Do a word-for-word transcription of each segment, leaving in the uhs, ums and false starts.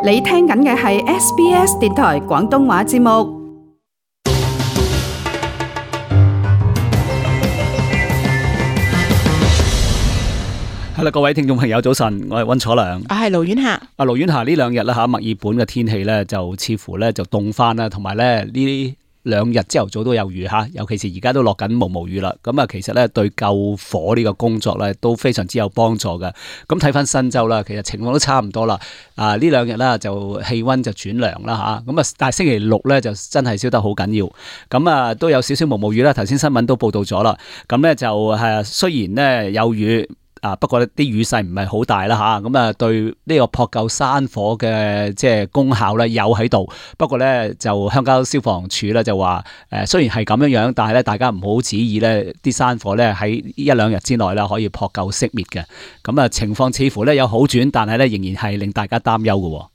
你聽緊嘅係 S B S 電台廣東話節目。係啦，各位聽眾朋友早晨，我係溫楚良，我係盧婉霞。阿盧婉霞，呢兩日啦吓，墨爾本嘅天氣咧就似乎咧就凍翻啦，同埋咧呢兩日朝頭早都有雨吓，尤其是而家都落緊毛毛雨啦。咁啊，其實咧對救火呢個工作咧都非常之有幫助嘅。咁睇翻新州啦，其實情況都差唔多啦。啊，呢兩日啦就氣溫就轉涼啦吓，咁啊，但係星期六咧就真係燒得好緊要。咁啊，都有少少毛毛雨啦。頭先新聞都報道咗啦。咁咧就係雖然咧有雨。啊，不過呢啲雨勢唔係好大啦吓，咁啊對呢個撲救山火嘅即係功效咧有喺度。不過咧就鄉郊消防處咧就話，誒雖然係咁樣樣，但係咧大家唔好指意咧啲山火咧喺一兩日之內啦可以撲救熄滅嘅。咁啊情況似乎咧有好轉，但係咧仍然係令大家擔憂嘅。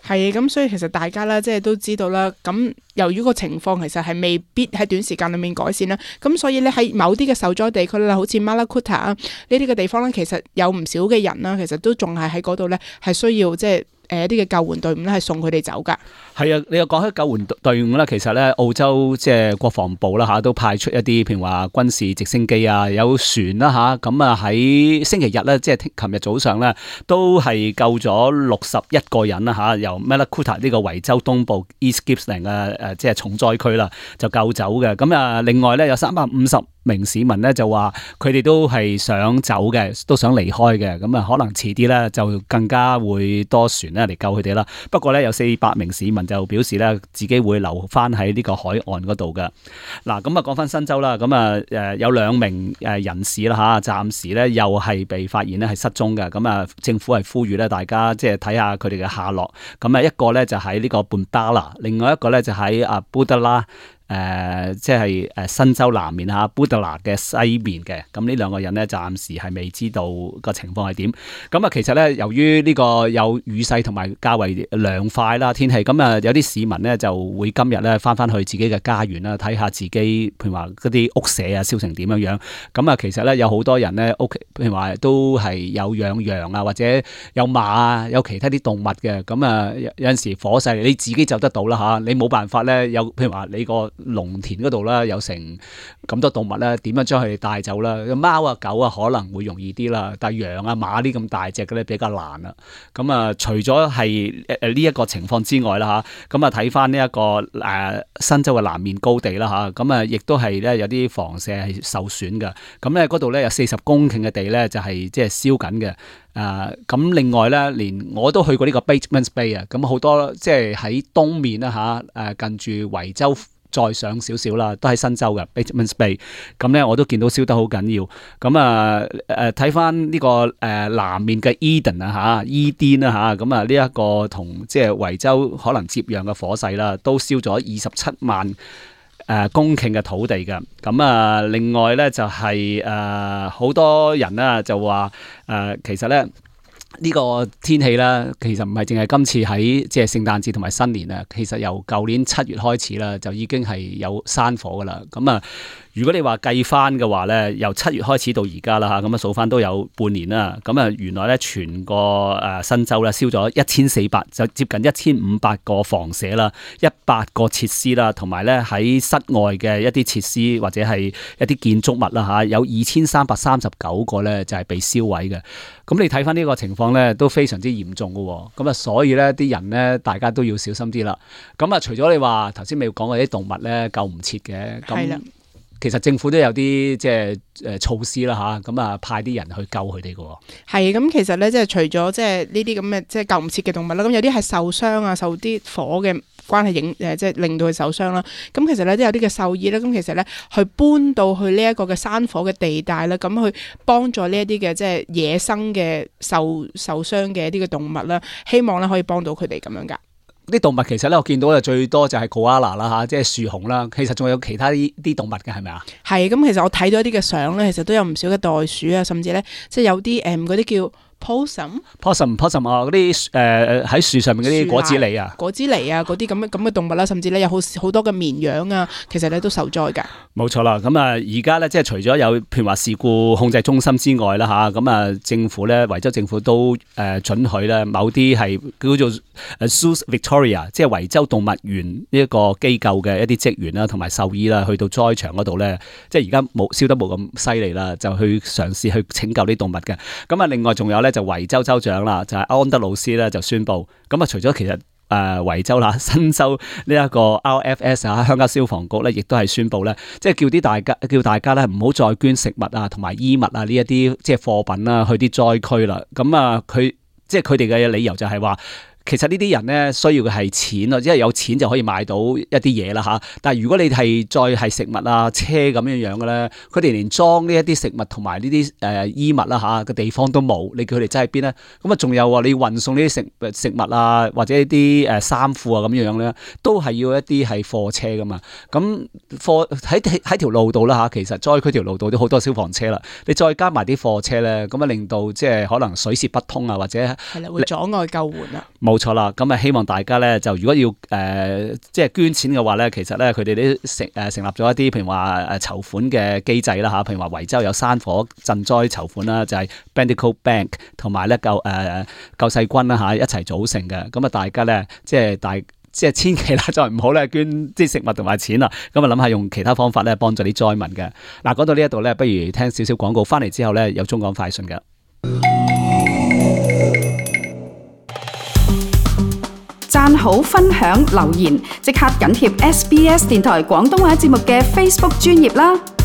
係咁，所以其實大家咧即係都知道啦。咁由於個情況其實係未必喺短時間裏面改善啦，咁所以咧喺某啲嘅受災地區啦，好似 Malakuta 啊呢啲嘅地方咧，其實有唔少嘅人啦，其實都仲係喺嗰度咧，係需要即係誒一啲嘅救援隊伍咧係送佢哋走噶。係啊，你又講起救援隊伍咧，其實咧澳洲即係國防部啦吓，都派出一啲譬如話軍事直升機啊，有船啦吓，咁啊喺星期日咧，即係琴日早上咧，都係救咗六十一個人啦吓，由 Malakuta 呢個維州東部 East Gippsland 嘅誒即係重災區啦，就救走嘅。咁啊，另外咧有三百五十名市民咧就話佢哋都係想走嘅，都想離開嘅。咁啊，可能遲啲咧就更加會多船咧嚟救佢哋啦。不過咧有四百名市民就表示咧自己會留翻喺呢個海岸嗰度嘅。嗱，咁啊講翻新州啦，咁啊誒有兩名誒人士啦吓，暫時咧又係被發現咧係失蹤嘅。咁啊政府係呼籲咧大家即係睇下佢哋嘅下落。咁啊一個咧就喺呢個半巴啦，另外一個咧就喺阿布德拉。誒、呃，即係誒新州南面嚇，布德拿嘅西面嘅，咁呢兩個人咧，暫時係未知道個情況係點。咁啊，其實咧，由於呢個有雨勢同埋較為涼快啦天氣，咁啊有啲市民咧就會今日咧翻翻去自己嘅家園啦，睇下自己譬如話嗰啲屋舍啊燒成點樣樣。咁啊，其實咧有好多人咧屋企譬如話都係有養羊啊，或者有馬啊，有其他啲動物嘅。咁啊有有陣時火勢你自己就得到啦嚇，你冇辦法咧有譬如話你個農田嗰度啦，有成咁多動物咧，點樣將佢哋帶走啦？貓啊、狗啊可能會容易啲啦，但係羊啊、馬呢咁大隻嘅咧比較難啦。咁啊，除咗係誒呢一個情況之外啦嚇，咁啊睇翻呢一個誒、呃、新州嘅南面高地啦嚇，咁啊亦都係咧有啲房舍係受損嘅。咁咧嗰度咧有四十公頃嘅地咧就係即係燒緊嘅。誒咁、呃、另外咧，連我都去過呢個 Batemans Bay 啊，咁好多即係喺東面啦嚇，誒近住維州。再上少少啦，都喺新州嘅 Batemans Bay， 咁咧我都見到燒得好緊要。咁啊誒睇翻呢個誒、呃、南面嘅 Eden 啊嚇，伊甸啦嚇，咁啊呢一個同即係維州可能接壤嘅火勢啦，都燒咗二十七萬誒公頃嘅土地嘅。咁啊另外咧就係誒好多人啦就話誒、呃、其實咧。呢個天氣啦，其實唔係淨係今次喺即係聖誕節同埋新年啊，其實由舊年七月開始啦，就已經係有山火噶啦。咁啊，如果你話計翻嘅話咧，由七月開始到而家啦嚇，咁啊數翻都有半年啦。咁啊，原來咧全個誒新州咧燒咗一千四百，就接近一千五百個房舍啦，一百個設施啦，同埋咧喺室外嘅一啲設施或者係一啲建築物啦嚇，有二千三百三十九個咧就係被燒毀嘅。咁你睇翻呢個情況咧，都非常之嚴重嘅喎。咁啊，所以咧啲人咧，大家都要小心啲啦。咁啊，除咗你話頭先未講過啲動物咧救唔切嘅，咁其實政府都有啲即係誒措施啦吓，咁啊派啲人去救佢哋嘅喎。係咁，其實咧即係除咗即係呢啲咁嘅即係救唔切嘅動物啦，咁有啲係受傷啊，受啲火嘅關係影誒，即係令到佢受傷啦。咁其實咧都有啲嘅獸醫咧，咁其實咧去搬到去呢一個嘅山火嘅地帶啦，咁去幫助呢一啲嘅即係野生嘅受受傷嘅一啲嘅動物啦，希望咧可以幫到佢哋咁樣噶。啲動物其實咧，我見到嘅最多就係 koala 啦嚇，即係樹熊啦。其實仲有其他啲啲動物嘅係咪啊？係咁，其實我睇到一啲嘅相咧，其實都有唔少嘅袋鼠啊，甚至咧即係有啲誒嗰啲叫 possum possum possum 啊，嗰啲誒喺樹上面嗰啲果子狸啊，果子狸啊，嗰啲咁嘅咁嘅動物啦，甚至咧有好好多嘅綿羊啊，其實咧都受災㗎。冇錯啦，咁啊而家咧即係除咗有譬如話事故控制中心之外啦嚇，咁啊政府咧維州政府都誒准許咧某啲係叫做誒 Zoos Victoria， 即係維州動物園呢一個機構嘅一啲職員啦同埋獸醫啦，去到災場嗰度咧，即係而家冇燒得冇咁犀利啦，就去嘗試去拯救啲動物嘅。咁啊另外仲有咧就維州州長啦，就係安德魯斯咧就宣布，咁啊除咗其實誒維州啦，新州呢一個 R F S 啊，鄉郊消防局咧，亦都係宣布咧，即係叫啲大家叫大家咧唔好再捐食物啊同埋衣物啊呢一啲即係貨品啦去啲災區啦。咁啊佢即係佢哋嘅理由就係話，其實呢啲人咧需要嘅係錢啊，即係有錢就可以買到一啲嘢啦嚇。但係如果你係再係食物啊車咁樣樣嘅咧，佢哋連裝呢一啲食物同埋呢啲誒衣物啦嚇嘅地方都冇，你叫佢哋擠喺邊咧？咁啊仲有啊，你要運送呢啲食食物啊或者一啲誒衫褲啊咁樣樣咧，都係要一啲係貨車噶嘛。咁貨喺喺條路度啦嚇，其實災區條路度都好多消防車啦，你再加埋啲貨車咧，咁啊令到即係可能水泄不通啊，或者係啦會阻礙救援啊。冇錯啦，咁啊希望大家咧就如果要誒、呃、即係捐錢嘅話咧，其實咧佢哋都成誒成立咗一啲譬如話誒籌款嘅機制啦嚇，譬如話維州有山火賑災籌款啦，就係、是、Bendigo Bank 同埋咧救誒、呃、救世軍啦嚇一齊組成嘅，咁啊大家咧即係大即係千祈啦，再唔好咧捐啲食物同埋錢啦，咁啊諗下用其他方法咧幫助啲災民嘅。嗱講到呢一度咧，不如聽少少廣告，翻嚟之後咧有中港快訊嘅。讚好、分享、留言，即刻緊貼 S B S 電台廣東話節目嘅 Facebook 專頁啦！